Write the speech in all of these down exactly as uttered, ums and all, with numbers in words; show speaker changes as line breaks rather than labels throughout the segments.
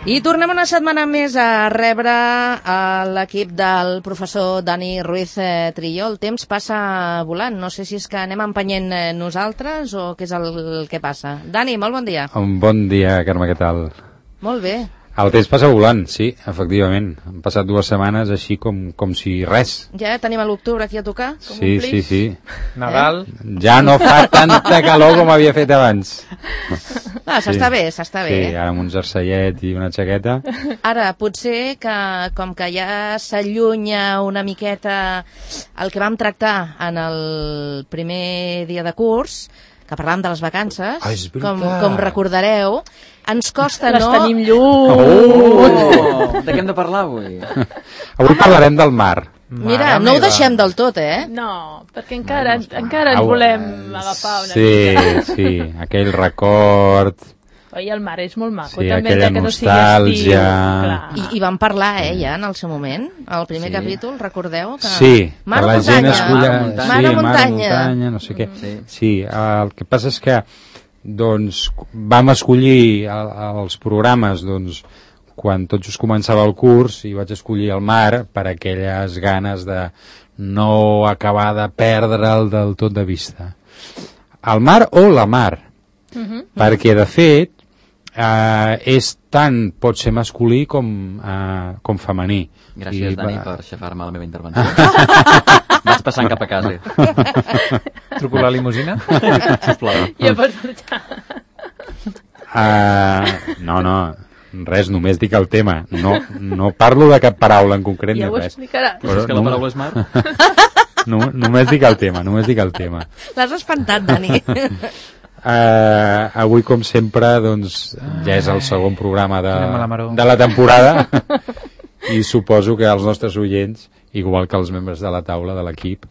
I tornem una setmana més a rebre a l'equip del professor Dani Ruiz Trillo. El temps passa volant. No sé si és que anem empenyent nosaltres o què és el que passa. Dani, molt bon dia.
Un bon dia, Carme, què tal?
Molt bé.
El temps passa volant, sí, efectivament. Han passat dues setmanes així com, com si res.
Ja tenim a l'octubre aquí a tocar? Com
sí, sí, sí.
Nadal.
Eh? Ja no fa tanta calor com havia fet abans.
Ah, s'està sí. bé, s'està bé.
Sí, ara amb un jerseillet i una jaqueta.
Ara, potser que com que ja s'allunya una miqueta el que vam tractar en el primer dia de curs, que parlàvem de les vacances,
ah,
com, com recordareu, ens costa,
les
no?
Les tenim lluny!
Oh! oh! De què hem de parlar avui?
Avui parlarem del mar.
Mira, no ho deixem del tot, eh?
No, perquè encara, encara ens volem agafar una
sí,
mica.
Sí, sí, aquell record...
Oi, el mar és molt maco,
sí,
també,
aquella
que no
nostàlgia...
sigui
I, I vam parlar, eh, ja, en el seu moment, al primer sí. capítol, recordeu? Que...
Sí,
mar
que la
muntanya.
gent esculla...
Mar,
sí,
mar a muntanya.
muntanya, no sé què.
Sí.
sí, el que passa és que doncs, vam escollir el, els programes doncs, quan tot just començava el curs i vaig escollir el mar per aquelles ganes de no acabar de perdre'l del tot de vista. El mar o la mar, uh-huh. perquè de fet Uh, és tant, pot ser masculí com, uh, com femení.
Gràcies, I, Dani, va... per xafar-me la meva intervenció. Vas passant cap a casa.
Truco la limusina?
Sisplau.
Ja pots marxar.
Uh, no, no, res, només dic el tema. No, no parlo de cap paraula en concret
ja
ni res.
Ja ho explicaràs.
Però és que la paraula és mar?
No, només dic el tema, només dic el tema.
L'has espantat, Dani.
Uh, avui com sempre doncs, ja és el segon programa de, de la temporada i suposo que els nostres oients, igual que els membres de la taula de l'equip,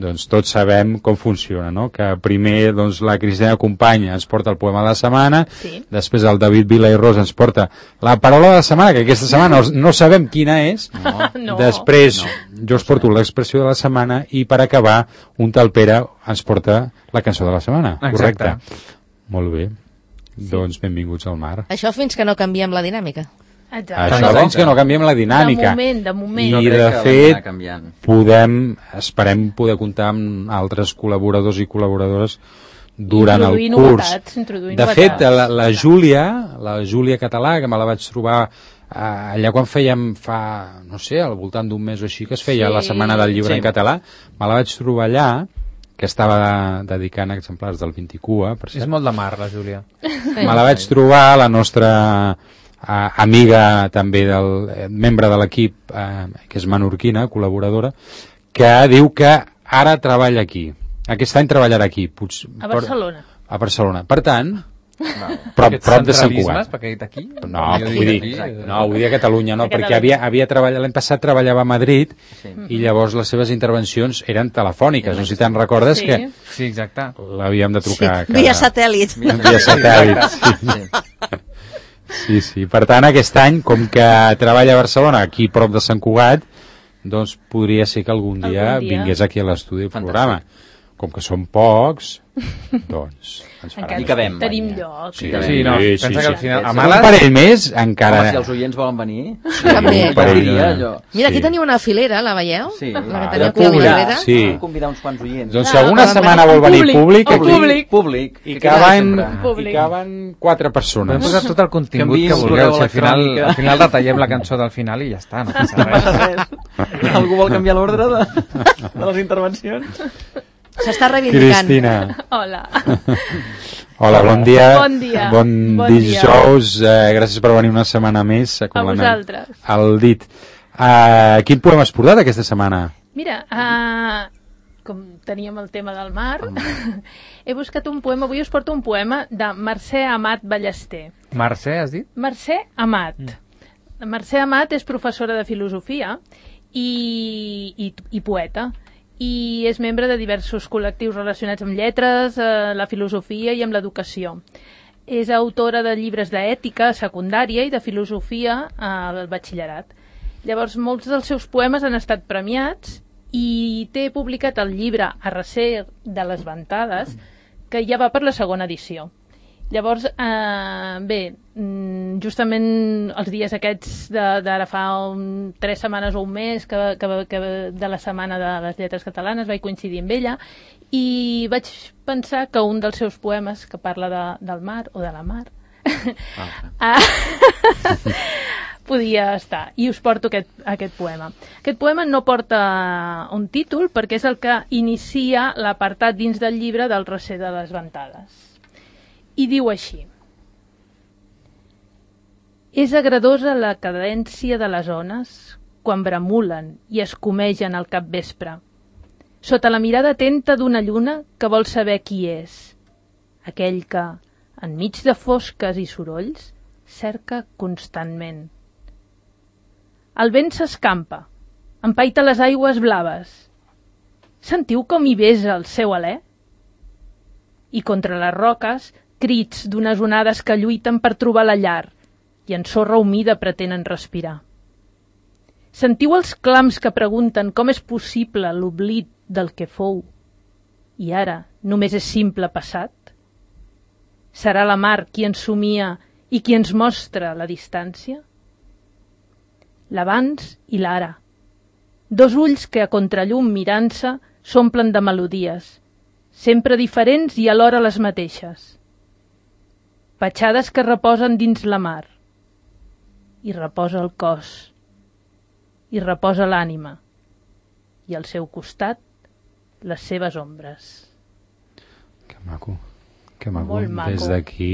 doncs tots sabem com funciona, no? Que primer doncs, la Cristina Company ens porta el poema de la setmana,
sí.
després el David Vila i Ros ens porta la paraula de la setmana, que aquesta setmana no, no sabem quina és,
no.
No.
després
no.
jo us porto l'expressió de la setmana i per acabar un tal Pere ens porta la cançó de la setmana.
Exacte.
Correcte. Molt bé. Sí. Doncs benvinguts al mar.
Això fins que no canviem la dinàmica.
Exacte.
Això doncs que no canviem la dinàmica.
De moment, de moment.
I
no
de fet podem, esperem poder comptar amb altres col·laboradors i col·laboradores durant el curs.
Novetats,
de fet, la, la Júlia, la Júlia Català, que me la vaig trobar uh, allà quan fèiem fa, no sé, al voltant d'un mes o així, que es feia sí. la Setmana del Llibre sí. en català, me la vaig trobar allà, que estava dedicant exemplars del Vinticua. Per
és molt de mar, la Júlia.
Me la vaig trobar, la nostra uh, amiga també, del eh, membre de l'equip, uh, que és menorquina, col·laboradora, que diu que ara treballa aquí. Aquest any treballarà aquí. Potser,
a Barcelona.
Per, a Barcelona. Per tant,
no.
prop, prop de Sant Cugat.
Perquè aquí?
No, vull dir, no, vull dir a Catalunya, no, a perquè havia, havia treballat, l'any passat treballava a Madrid sí. i llavors les seves intervencions eren telefòniques, no sé si te'n recordes sí. que
sí, exacte.
l'havíem de trucar.
Sí. Cada... Via satèl·lit.
Via satèl·lit, sí. sí, sí. Per tant, aquest any, com que treballa a Barcelona, aquí prop de Sant Cugat, doncs podria ser que algun dia, algun dia? vingués aquí a l'estudi el programa. Com que són pocs, doncs ens farà.
I cabem.
Tenim lloc.
Sí, sí, no, sí, pensa sí, que al final...
Sí. A males... Un parell més, encara...
Home, si els oients volen venir...
Sí, un parell
dia, allò...
Mira, aquí sí. teniu una filera, la veieu?
Sí.
La que
ah,
teniu aquí a la filera.
Sí.
Vam convidar uns quants oients.
Doncs si alguna ah, setmana vol venir públic, públic aquí...
Públic. Públic.
I caben, i caben quatre persones.
Podem posar tot el contingut que, que vulgueu. Si al final, al final retallem la cançó del final i ja està, no passa res.
Algú vol canviar l'ordre de, de les intervencions?
S'està reivindicant.
Cristina.
Hola.
Hola, bon dia.
Bon dia.
Bon, bon dijous. Eh, gràcies per venir una setmana més.
A vosaltres.
El dit. Uh, quin poema has portat aquesta setmana?
Mira, uh, com teníem el tema del mar, he buscat un poema, avui us porto un poema de Mercè Amat Ballester.
Mercè, has dit?
Mercè Amat. Mm. Mercè Amat és professora de filosofia i, i, i poeta. I és membre de diversos col·lectius relacionats amb lletres, eh, la filosofia i amb l'educació. És autora de llibres d'ètica secundària i de filosofia al batxillerat. Llavors, molts dels seus poemes han estat premiats i té publicat el llibre A recer de les ventades, que ja va per la segona edició. Llavors, eh, bé, justament els dies aquests d'ara fa un, tres setmanes o un mes que, que, que de la setmana de les lletres catalanes vaig coincidir amb ella i vaig pensar que un dels seus poemes que parla de, del mar o de la mar ah. podia estar, i us porto aquest, aquest poema. Aquest poema no porta un títol perquè és el que inicia l'apartat dins del llibre del Recer de les Ventades. I diu així: és agradosa la cadència de les ones quan bramulen i escumegen al capvespre, sota la mirada atenta d'una lluna que vol saber qui és, aquell que, enmig de fosques i sorolls, cerca constantment. El vent s'escampa, empaita les aigües blaves. Sentiu com hi besa el seu alè? I contra les roques, crits d'unes onades que lluiten per trobar la llar i en sorra humida pretenen respirar. Sentiu els clams que pregunten com és possible l'oblit del que fou i ara només és simple passat? Serà la mar qui ens somia i qui ens mostra la distància? L'abans i l'ara. Dos ulls que a contrallum mirant-se s'omplen de melodies, sempre diferents i alhora les mateixes. Petjades que reposen dins la mar. I reposa el cos. I reposa l'ànima. I al seu costat, les seves ombres.
Que maco. Que maco.
Molt maco.
Des d'aquí...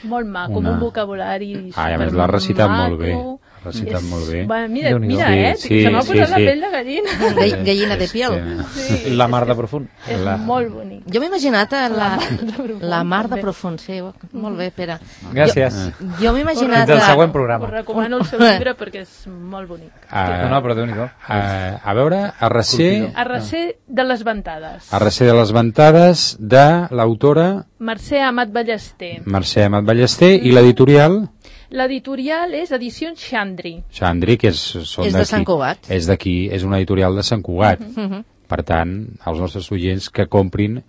Molt maco, una... amb un vocabulari super
ah, a més l'ha recitat
maco.
Molt bé. L'ha recitat és... molt bé.
Bueno, mira, mira, eh?
Sí, sí,
se m'ha posat
sí,
la
sí.
pell de gallina.
Gall Gallina de piel.
Sí.
Sí.
La mar de profund.
És
La...
molt bonic.
Jo m'he imaginat la, la,
profund,
la mar de
també.
profund, sí. Molt bé, Pere.
Gràcies.
Jo, jo m'he imaginat...
Fins al següent
Us
programa.
recomano el seu llibre perquè és molt bonic.
Uh,
No, no, però Déu-n'hi-do.
uh, a veure, a recer...
A recer de les ventades.
A recer de les ventades de l'autora
Mercè Amat Ballester.
Mercè Amat Ballester i l'editorial
L'editorial és Edicions Xandri.
Xandri, que és, són
És de Sant Cugat.
És d'aquí, és una editorial de Sant Cugat.
Uh -huh.
Per tant, els nostres oients que comprin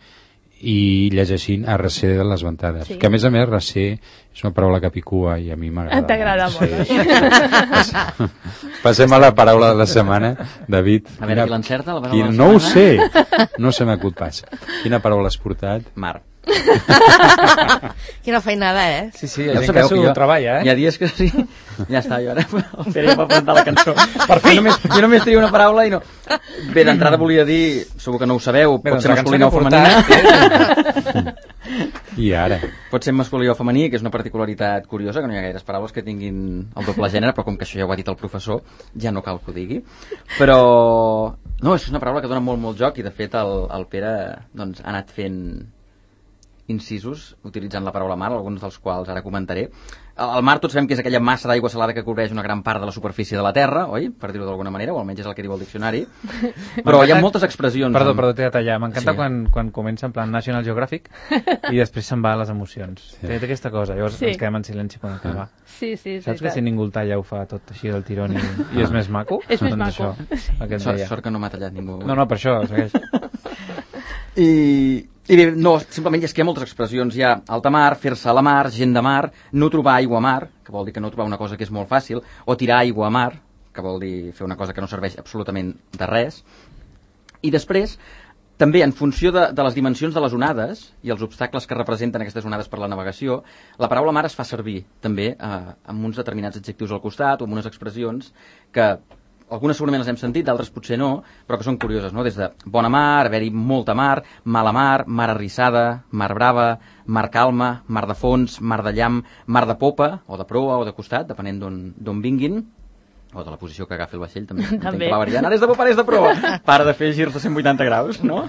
i llegeixin a recer de les ventades.
Sí.
Que a més a més recer és una paraula capicua i a mi m'agrada.
T'agrada molt,
sí. Passem a la paraula de la setmana, David.
A veure, qui l'encerta, la paraula
Quina...
de la
No ho
setmana?
sé, no se m'acut pas. Quina paraula has portat?
Mar.
Quina feinada, eh?
Sí, sí,
Ja
hi ha
ho
gent
sabeu
que
que
s'ho
jo-
treballa,
Hi
eh?
ha dies que sí. Ja està, jo ara el Pere ja va presentar la cançó. Per fi! Jo només, jo només tenia una paraula i no... Bé, d'entrada volia dir, segur que no ho sabeu,
Bé,
pot
doncs
ser
la cançó
masculina o
que he
femenina.
I ara?
Pot ser masculí o femení, que és una particularitat curiosa, que no hi ha gaires paraules que tinguin el doble gènere, però com que això ja ho ha dit el professor, ja no cal que ho digui. Però... No, és una paraula que dona molt, molt joc i, de fet, el, el Pere doncs, ha anat fent incisos utilitzant la paraula mar, alguns dels quals ara comentaré. El mar tots sabem que és aquella massa d'aigua salada que cobreix una gran part de la superfície de la Terra, oi? Per dir-ho d'alguna manera, o almenys és el que diu el diccionari. Però hi ha moltes expressions.
Perdó,
amb...
perdó, t'he de tallar. M'encanta
Sí.
quan, quan comença en plan National Geographic i després se'n va a les emocions. Sí. Té, té aquesta cosa, llavors
Sí.
ens quedem en silenci quan acaba.
Sí, sí, és
Saps que
veritat.
si ningú el talla ho fa tot així del tirón i, i és més maco?
És més
doncs
maco.
Això, el que et
Sort,
deia.
sort que no m'ha tallat ningú.
No, no, per això, segueix.
I, I bé, no, simplement és que hi ha moltes expressions. Hi ha alta mar, fer-se a la mar, gent de mar, no trobar aigua a mar, que vol dir que no trobar una cosa que és molt fàcil, o tirar aigua a mar, que vol dir fer una cosa que no serveix absolutament de res. I després, també en funció de, de les dimensions de les onades i els obstacles que representen aquestes onades per la navegació, la paraula mar es fa servir també eh, amb uns determinats adjectius al costat o amb unes expressions que algunes segurament les hem sentit, d'altres potser no, però que són curioses, no? Des de bona mar, haver-hi molta mar, mala mar, mar arrissada, mar brava, mar calma, mar de fons, mar de llamp, mar de popa, o de proa o de costat, depenent d'on vinguin, o de la posició que agafi el vaixell, també.
També.
Que va variant. Ara és de popa, ara és de proa. Para de fer girs de cent vuitanta graus, no?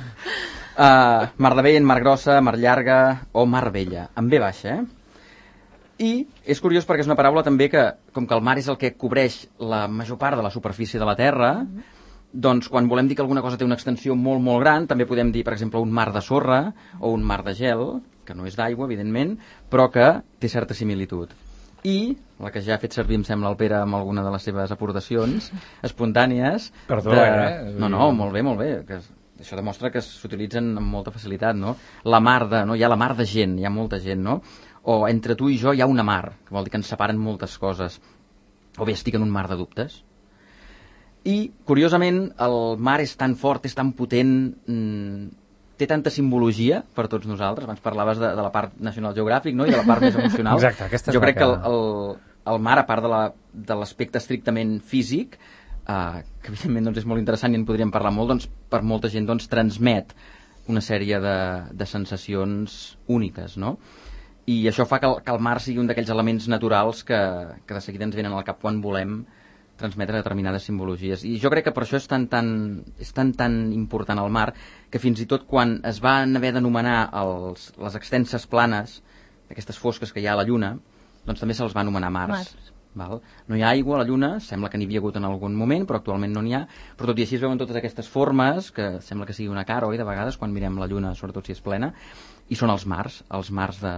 Uh, mar de vent, mar grossa, mar llarga o mar vella, amb ve baixa, eh? I és curiós perquè és una paraula també que, com que el mar és el que cobreix la major part de la superfície de la Terra, doncs quan volem dir que alguna cosa té una extensió molt, molt gran, també podem dir, per exemple, un mar de sorra o un mar de gel, que no és d'aigua, evidentment, però que té certa similitud. I, la que ja ha fet servir, em sembla, el Pere amb alguna de les seves aportacions espontànies...
Perdó,
de...
eh?
No, no, molt bé, molt bé, que això demostra que s'utilitzen amb molta facilitat, no? La mar de... no? Hi ha la mar de gent, hi ha molta gent, no? o entre tu i jo hi ha una mar, que vol dir que ens separen moltes coses, o bé estic en un mar de dubtes. I, curiosament, el mar és tan fort, és tan potent, mmm, té tanta simbologia per tots nosaltres. Abans parlaves de, de la part National Geographic, no?, i de la part més emocional.
Exacte, aquesta és
jo crec
que...
que el, el, el mar, a part de l'aspecte estrictament físic, eh, que evidentment doncs, és molt interessant i en podríem parlar molt, doncs, per molta gent doncs, transmet una sèrie de, de sensacions úniques, no? I això fa que el, que el mar sigui un d'aquells elements naturals que, que de seguida ens venen al cap quan volem transmetre determinades simbologies. I jo crec que per això és tan, tan, és tan, tan important el mar, que fins i tot quan es van haver d'anomenar els, les extenses planes, aquestes fosques que hi ha a la Lluna, doncs també se'ls va anomenar mars.
Mars.
Val? No hi ha aigua a la Lluna, sembla que n'hi havia hagut en algun moment, però actualment no n'hi ha, però tot i així es veuen totes aquestes formes, que sembla que sigui una cara, oi, de vegades, quan mirem la Lluna, sobretot si és plena, i són els mars, els mars de,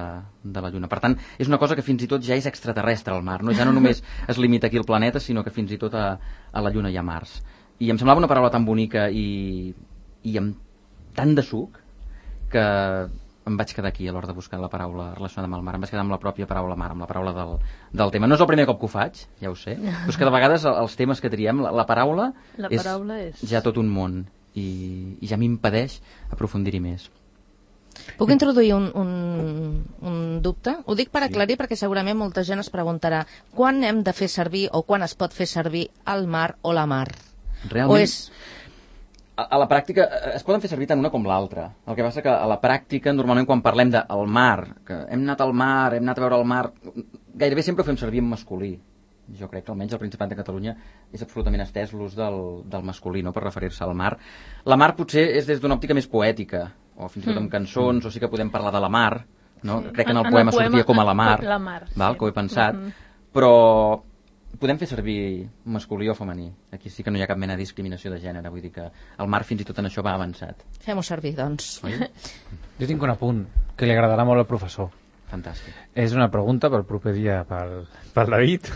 de la Lluna. Per tant, és una cosa que fins i tot ja és extraterrestre, el mar, no? Ja no només es limita aquí al planeta, sinó que fins i tot a, a la Lluna hi ha mars. I em semblava una paraula tan bonica i, i amb tant de suc que em vaig quedar aquí a l'hora de buscar la paraula relacionada amb el mar. Em vaig quedar amb la pròpia paraula mar, amb la paraula del, del tema. No és el primer cop que ho faig, ja ho sé, però és que de vegades els temes que triem, la, la paraula,
La
és,
paraula és...
ja tot un món i, i ja m'impedeix aprofundir-hi més.
Puc introduir un, un, un dubte? Ho dic per aclarir, sí, perquè segurament molta gent es preguntarà quan hem de fer servir o quan es pot fer servir el mar o la mar?
Realment,
o és...
a, a la pràctica es poden fer servir tant una com l'altra. El que passa que a la pràctica, normalment quan parlem del mar, que hem anat al mar, hem anat a veure el mar, gairebé sempre ho fem servir en masculí. Jo crec que almenys al Principat de Catalunya és absolutament estès l'ús del, del masculí, no?, per referir-se al mar. La mar potser és des d'una òptica més poètica, o fins i tot amb cançons, o sí que podem parlar de la mar, no? Sí. Crec que en el, en poema, el poema sortia com a la mar,
la mar
val,
sí,
que ho he pensat,
uh-huh,
però podem fer servir masculí o femení. Aquí sí que no hi ha cap mena de discriminació de gènere, vull dir que el mar fins i tot en això va avançat.
Fem-ho servir, doncs.
Oi?
Jo tinc un apunt que li agradarà molt al professor.
Fantàstic.
És una pregunta pel proper dia pel, pel David.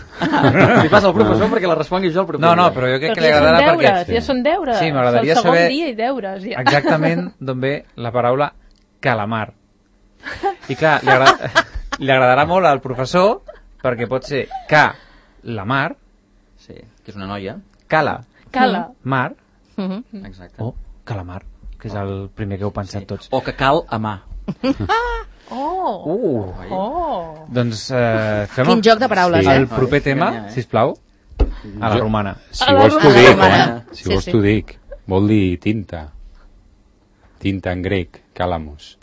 Li passa al professor perquè la respongui jo al proper
No, no,
dia.
però jo crec
Perquè
que li
ja són
agradarà
deures,
perquè...
ja són deures.
Sí, m'agradaria
És el segon
saber
dia i deures, ja.
exactament d'on ve la paraula calamar. I clar, li, agrada, li agradarà molt al professor perquè pot ser ca, la mar,
Sí, que és una noia.
cala,
Cala.
mar,
Uh-huh.
Exacte.
o calamar, que és el primer que heu pensat tots.
O que cal amar.
Oh!
Uh,
Oh!
doncs eh, fem
Quin joc de paraules,
Sí.
eh?
el proper tema,
Enganya, eh?
sisplau, a la
Jo-
romana.
Si
A la
vols t'ho
romana.
dic,
romana.
si
Sí,
vols
sí.
t'ho dic. Vol dir tinta. Tinta en grec, calamus.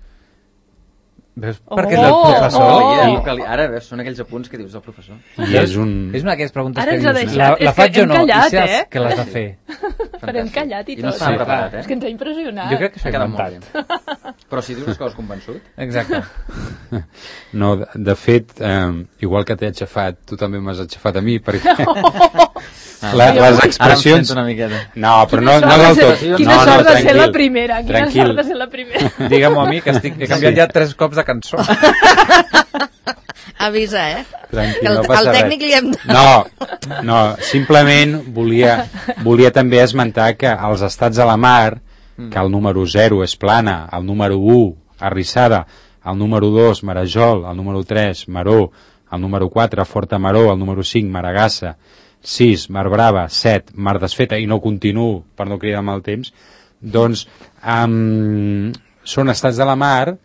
Veus?
Oh!
Perquè és del
Oh!
professor.
Oh,
I,
que li- Ara, veus, són aquells apunts que dius del professor.
I és un...
És una d'aquelles preguntes
Ara
que
ens ha
dius,
deixat.
la,
És
la
que
faig o
hem
no?
callat,
I saps
eh?
que l'has de fer.
Però hem callat i
I no
tot.
estava
Sí,
preparat,
clar.
eh?
És que ens ha impressionat.
Jo crec que s'ha
Ha quedat molt
inventat.
bé. Però si dius les coses convençut...
Exacte.
No, de, de fet, eh, igual que t'he aixafat, tu també m'has aixafat a mi, perquè la, les expressions...
Ara em sento una miqueta.
No, però no,
Quina
no del
sort de
tot.
ser-
No,
Quina
no,
sort de ser
tranquil.
la primera. Quina
Tranquil.
sort de ser la primera.
Digue'm-ho a mi, que estic, he canviat ja tres cops de cançó.
Avisa, eh?
Tranquil,
Que el,
no passa
el tècnic
res.
li hem...
No, no, simplement volia, volia també esmentar que els estats a la mar, que el número zero és plana, el número u, arrissada, el número dos, marajol, el número tres, maró, el número quatre, forta maró, el número cinc, maragassa, sis, mar brava, set, mar desfeta, i no continuo per no cridar amb el temps, doncs um, són estats de la mar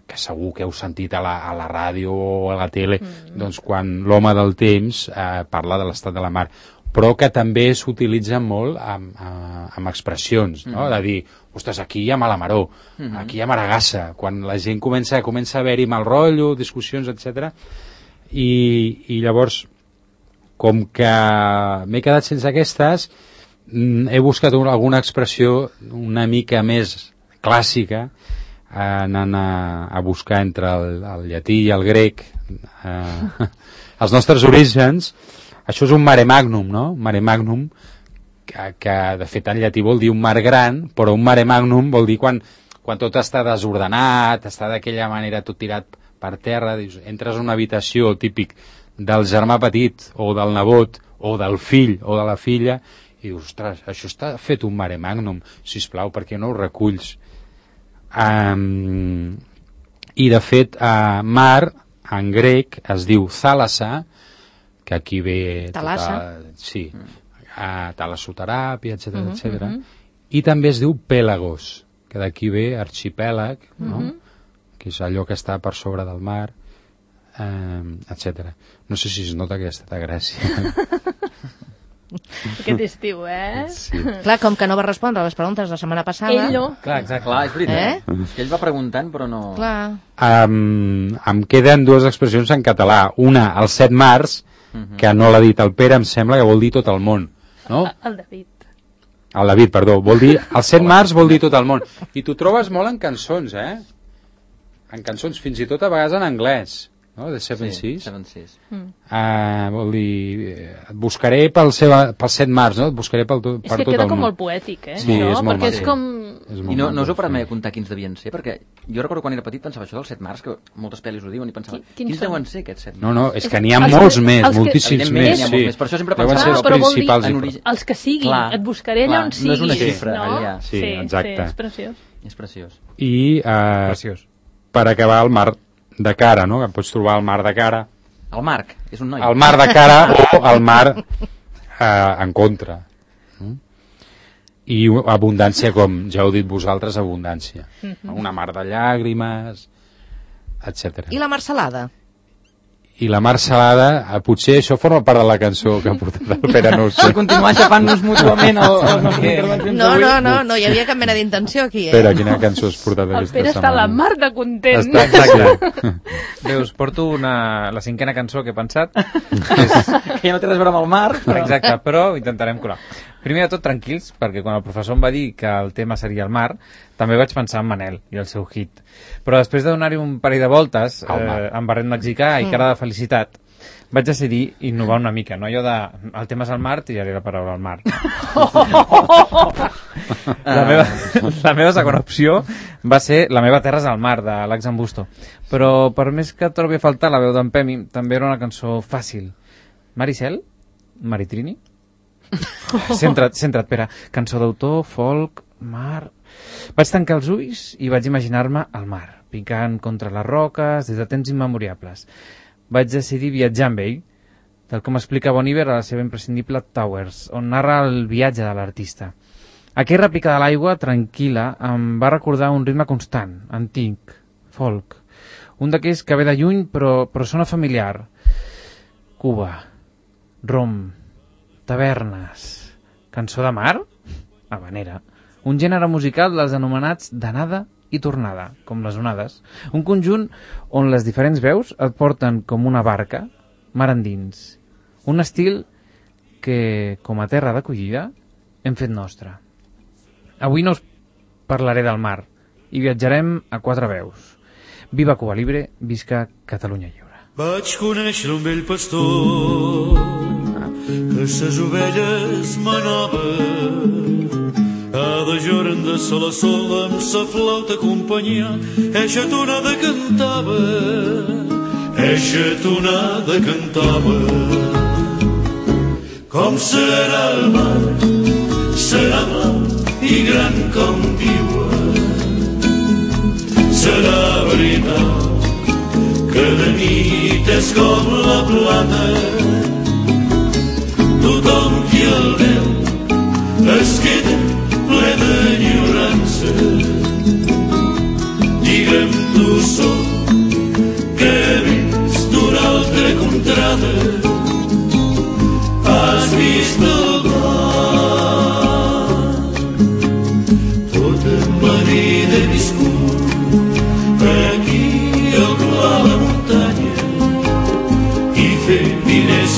que segur que heu sentit a la, a la ràdio o a la tele, mm. doncs quan l'home del temps eh, parla de l'estat de la mar, però que també s'utilitza molt amb, amb, amb expressions, no? Mm. De dir, ostres, aquí hi ha mala maró, mm. aquí hi ha maragassa, quan la gent comença, comença a haver-hi mal rotllo, discussions, etcètera. I, i llavors, com que m'he quedat sense aquestes, mm, he buscat una, alguna expressió una mica més clàssica, anant a, a buscar entre el, el llatí i el grec eh, els nostres orígens. Això és un mare magnum, no? Mare magnum, que, que de fet en llatí vol dir un mar gran, però un mare magnum vol dir quan, quan tot està desordenat, està d'aquella manera tot tirat per terra, dius, entres a una habitació típic del germà petit o del nebot o del fill o de la filla i dius, ostres, això està fet un mare magnum, sisplau, per què no ho reculls? Um, i de fet uh, mar en grec es diu thàlassa, que aquí ve...
Thalassa.
Tota, sí, a talassoteràpia, etcètera,
Mhm,
etcètera.
mhm.
I també es diu pèlagos, que d'aquí ve arxipèlag, no?
Mhm.
Que és allò que està per sobre del mar, eh, etcètera. No sé si es nota que està de Gràcia.
Aquest estiu, eh?
Sí.
Clar, com que no va respondre a les preguntes la setmana passada...
Ell no.
Clar, exacte.
Clar, és veritat.
Eh?
És que ell va preguntant, però no...
Clar.
Um, em queden dues expressions en català. Una, el set març, que no l'ha dit el Pere, em sembla que vol dir tot el món. No?
El David.
El David, perdó. Vol dir, el set març vol dir tot el món. I t'ho trobes molt en cançons, eh? En cançons, fins i tot a vegades en anglès. No? De Seven
Sí,
Seas.
Seven Seas.
Uh, vol dir, eh, et buscaré pel, seva, pel set març, no? Et buscaré pel, to,
És
per
que
tot
queda
el
com
món.
molt poètic, eh?
Sí,
no?
és molt
Perquè
maco.
és com...
És molt
I no, no us
maco,
heu parat mai
sí.
a comptar quins devien ser? Perquè jo recordo quan era petit pensava això del set març, que moltes pel·lis ho diuen, i pensava,
Qui-
quins,
quins són?
deuen ser aquests set març?
No, no, és que n'hi ha
Els
molts
que-
més,
els que-
moltíssims
Evidentment,
més,
n'hi ha
sí.
molts més, per això sempre
Deuen
pensava-
ser els
Però vol dir-
principals.
en
i-
origen-
Els que siguin,
Clar,
et buscaré allà
clar,
on
no
sigui.
és una
xifra,
no?
allà.
Sí,
sí,
exacte.
Sí, és preciós.
És preciós.
I eh,
Preciós.
per acabar el mar de cara, no? Que pots trobar el mar de cara,
El Marc, és un noi.
el mar de cara o el mar eh, en contra. Mm? I abundància, com ja heu dit vosaltres, abundància. Una mar de llàgrimes, etcètera.
I la marcelada?
I la mar salada, eh, potser això forma part de la cançó que ha portat el Pere, no ho sé.
Per continuar xapant-nos mútuament el, les nostres intervencions
No,
d'avui.
no, no, no hi havia cap mena d'intenció aquí, eh?
Pere, quina cançó has portat
El
aquesta
Pere està a la
setmana?
mar de content.
Està, exacte.
Bé, us porto una, la cinquena cançó que he pensat. És,
Que ja no té res a veure amb el mar. Però...
exacte, però intentarem colar. Primer de tot, tranquils, perquè quan el professor em va dir que el tema seria el mar, també vaig pensar en Manel i el seu hit. Però després de donar-hi un parell de voltes,
Al mar.
eh, amb barret mexicà i cara de felicitat, vaig decidir innovar una mica, no? Allò de, el tema és el mar, tiraré la paraula al mar. la, meva, la meva segona opció va ser La meva terra és al mar, de l'Ax Ambusto. Però per més que trobi a faltar la veu d'en Pemi, també era una cançó fàcil. Maricel? Maritrini? Centra't, centra't, Pere. Cançó d'autor, folk, mar... Vaig tancar els ulls i vaig imaginar-me al mar, picant contra les roques des de temps immemoriables. Vaig decidir viatjar amb ell, tal com explica Bon Iver a la seva imprescindible Towers, on narra el viatge de l'artista. Aquella rèplica de l'aigua, tranquil·la, em va recordar un ritme constant, antic, folk. Un d'aquells que ve de lluny però, però sona familiar. Cuba, rom, tavernes, cançó de mar, habanera, un gènere musical dels anomenats d'anada i tornada, com les onades, un conjunt on les diferents veus et porten com una barca, mar endins, un estil que, com a terra d'acollida, hem fet nostre. Avui no us parlaré del mar i viatjarem a quatre veus. Viva Cuba Libre, visca Catalunya Lliure.
Vaig conèixer un vell pastor que ses ovelles manava. Cada jorn de sol a sol amb sa flauta companyia eixa tonada cantava, eixa tonada cantava. Com serà el mar, serà blau i gran com diuen. Serà veritat que de nit és com la plata. Tothom qui el veu es queda ple d'enyorança. Digue'm tu sol que vens d'una altra contrada. Has vist el mar. Tota la vida he viscut aquí al pla de la muntanya i fer diners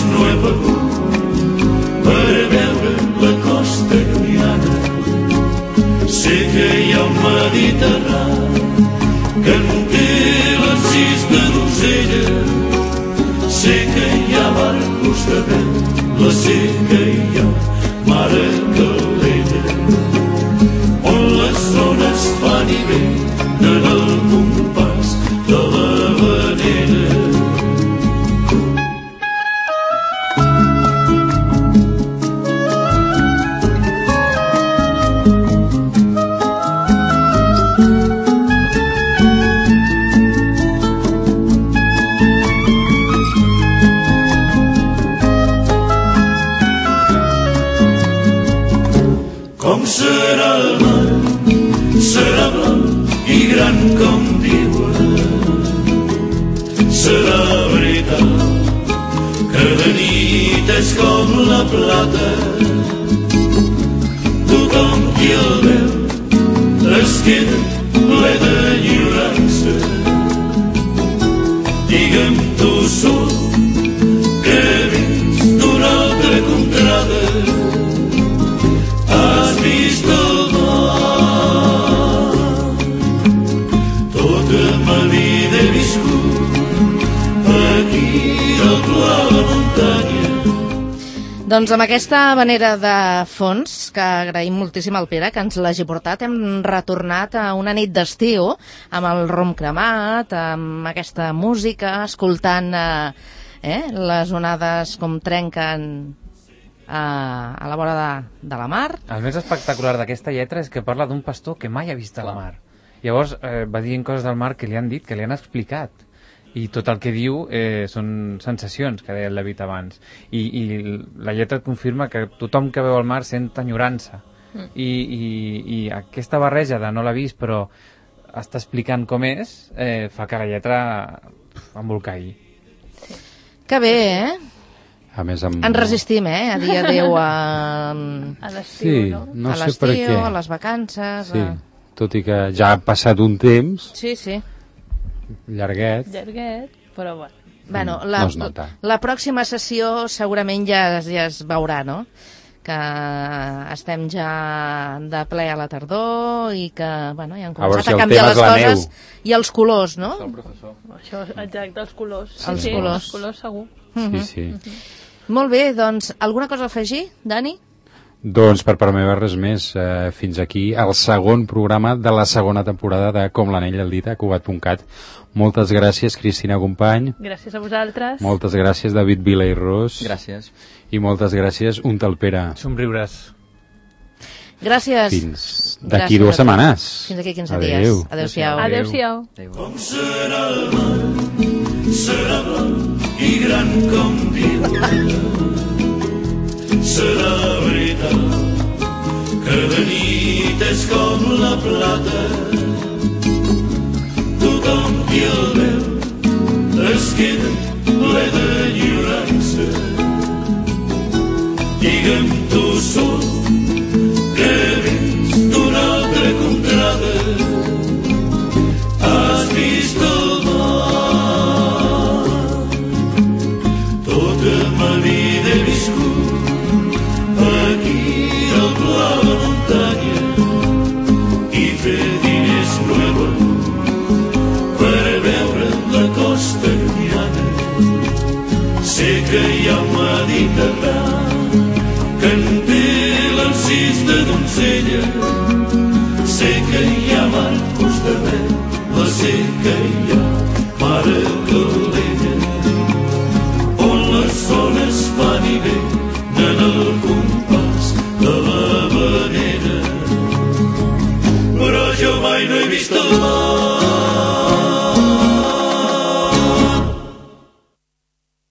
Com serà el mar, serà blanc i gran com diuen. Serà veritat que de nit és com la plata. Tothom qui el veu es queda ple d'enyorança. Digue'm tu sol que vins d'una altra contrada. Has vist el mar. Tota ma vida he viscut aquí al pla de la muntanya.
Doncs amb aquesta manera de fons, que agraïm moltíssim al Pere que ens l'hagi portat, hem retornat a una nit d'estiu amb el rom cremat, amb aquesta música, escoltant eh, eh, les onades com trenquen a, a la vora de, de la mar.
El més espectacular d'aquesta lletra és que parla d'un pastor que mai ha vist la mar. Llavors eh, va dient coses del mar que li han dit, que li han explicat. I tot el que diu eh, són sensacions, que deia el David abans. I, i la lletra et confirma que tothom que veu el mar sent enyorança. Mm. I, i, I aquesta barreja de no l'ha vist però està explicant com és, eh, fa que la lletra embolcalli.
Que bé, eh?
A més, amb...
Ens resistim, eh? A dir adéu a...
A l'estiu,
sí,
no?
no
a
sé per
l'estiu,
què.
a les vacances...
Sí,
a...
tot i que ja ha passat un temps...
Sí, sí.
Llarguet.
Llarguet, però bueno.
Bueno, la,
no es nota.
la pròxima sessió segurament ja, ja es veurà, no? Que estem ja de ple a la tardor i que, bueno, ja han començat
si
a
el
canviar
tema és
les
la
coses
neu.
i els colors, no?
Això, exacte, els colors. Sí,
Els
sí,
colors.
els colors segur.
Sí, sí.
Molt bé, doncs, alguna cosa a afegir, Dani?
Doncs per part meva res més. Eh, fins aquí el segon programa de la segona temporada de Com l'anell al dit a Cugat punt cat. Moltes gràcies, Cristina Company.
Gràcies a vosaltres.
Moltes gràcies, David Vila i Ros.
Gràcies.
I moltes gràcies, un tal Pere.
Somriures.
Gràcies.
Fins d'aquí
Gràcies
dues
a tu.
setmanes.
Fins d'aquí quinze
Adéu.
dies. Adéu-siau.
Adéu-siau.
Com serà el mar, serà blanc i gran com diuen. Serà veritat que de nit és com la plata. Tothom qui el veu es queda ple d'enyorança. Digue'm tu sol que vins d'una altra contrada. Has vist el mar. Tota ma vida he viscut aquí al pla de la muntanya i fer diners nueva per veure la costa.